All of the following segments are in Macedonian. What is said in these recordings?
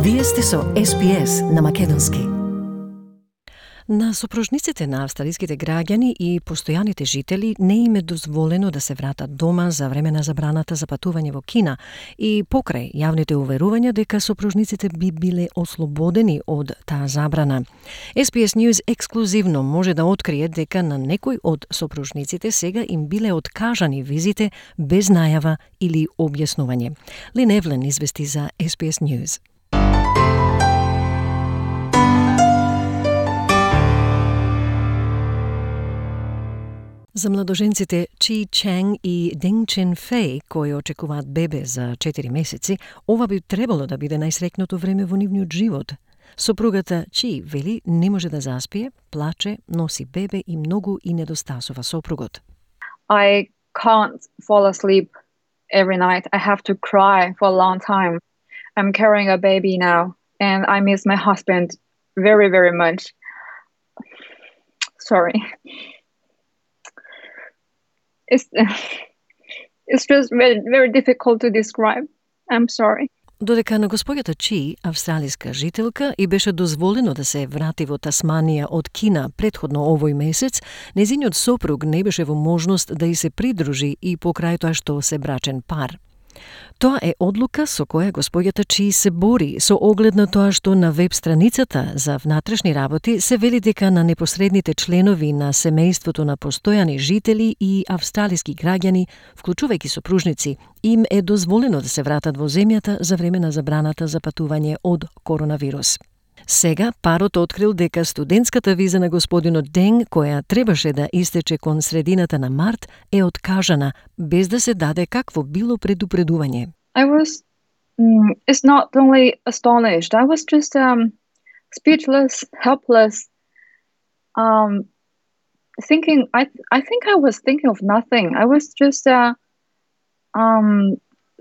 Вие сте со SPS на македонски. На сопружниците на австралиските граѓани и постојаните жители не им е дозволено да се вратат дома за време на забраната за патување во Кина и покрај јавните уверувања дека сопружниците би биле ослободени од таа забрана. SPS News ексклузивно може да открие дека на некој од сопружниците сега им биле откажани визите без најава или објаснување. Лин Евлен извести за SPS News. За младоженците Чи Ченг и Денг Чен Фей, кои очекуваат бебе за 4 месеци, ова би требало да биде најсреќното време во нивниот живот. Сопругата Чи вели не може да заспие, плаче, носи бебе и многу и недостасува сопругот. I can't fall asleep every night. I have to cry for a long time. I'm carrying a baby now and I miss my husband very, very much. Sorry. It's just very, very difficult to describe. I'm sorry. Додека на господјата Чи, австралиска жителка, и беше дозволено да се врати во Тасманија од Кина претходно овој месец, незиниот сопруг не беше во можност да и се придружи и покрај тоа што се брачен пар. Тоа е одлука со која господјата Чи се бори, со оглед на тоа што на веб страницата за внатрешни работи се вели дека на непосредните членови на семејството на постојани жители и австралиски граѓани, вклучувајќи сопружници, им е дозволено да се вратат во земјата за време на забраната за патување од коронавирус. Сега парот открил дека студентската виза на господинот Денг, која требаше да истече кон средината на март, е откажана, без да се даде какво било предупредување. I was, it's not only astonished, I was just speechless, helpless, thinking, I think I was thinking of nothing. I was just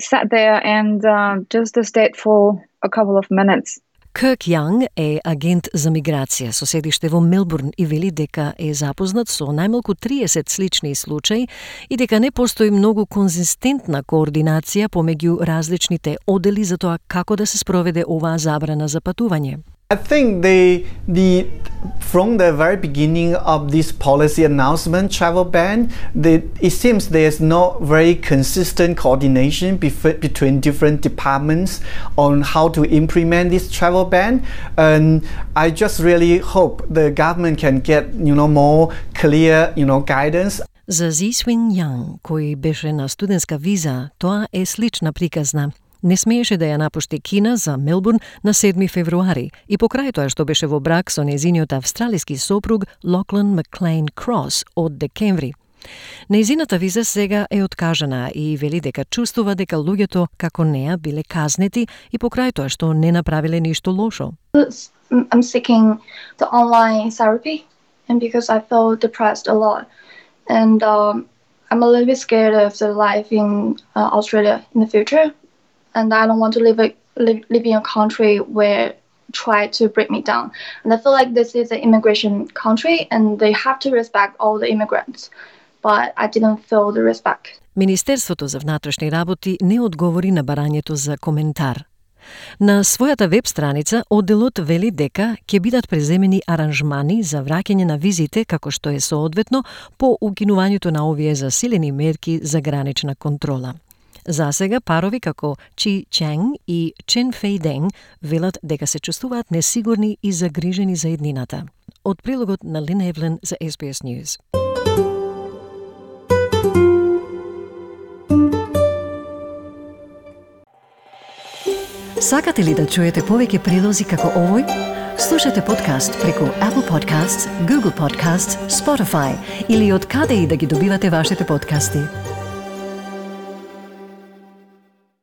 sat there and just stayed for a couple of minutes. Кирк Јанг е агент за миграција со седиште во Мелбурн и вели дека е запознат со најмалку 30 слични случаи и дека не постои многу конзистентна координација помеѓу различните одели за тоа како да се спроведе оваа забрана за патување. I think from the very beginning of this policy announcement, travel ban, it seems there's no very consistent coordination between different departments on how to implement this travel ban. And I just really hope the government can get, more clear, guidance. За Зи Свин Јанг, кој беше на студентска виза, тоа е слична приказна. Не смееше да ја напушти Кина за Мелбурн на 7 февруари и покрај тоа што беше во брак со незиниот австралиски сопруг Локлан Маклейн Крос од декември. Нејзината виза сега е откажана и вели дека чувствува дека луѓето како неа биле казнети и покрај тоа што не направиле ништо лошо. I'm seeking the online therapy and because I feel depressed a lot and I'm a little bit scared of the life in Australia in the future. And I don't want to live in a country where try to break me down. And I feel like this is an immigration country and they have to respect all the immigrants. But I didn't feel the respect. Министерството за внатрешни работи не одговори на барањето за коментар. На својата веб страница одделот вели дека ќе бидат преземени аранжмани за враќање на визите како што е соодветно по укинувањето на овие засилени мерки за гранична контрола. За сега парови како Чи Ченг и Чен Фей Денг велат дека се чувствуваат несигурни и загрижени за еднината. Од прилогот на Лин Евлен за SBS News. Сакате ли да чуете повеќе прилози како овој? Слушате подкаст преку Apple Podcasts, Google Podcasts, Spotify или од каде и да ги добивате вашите подкасти.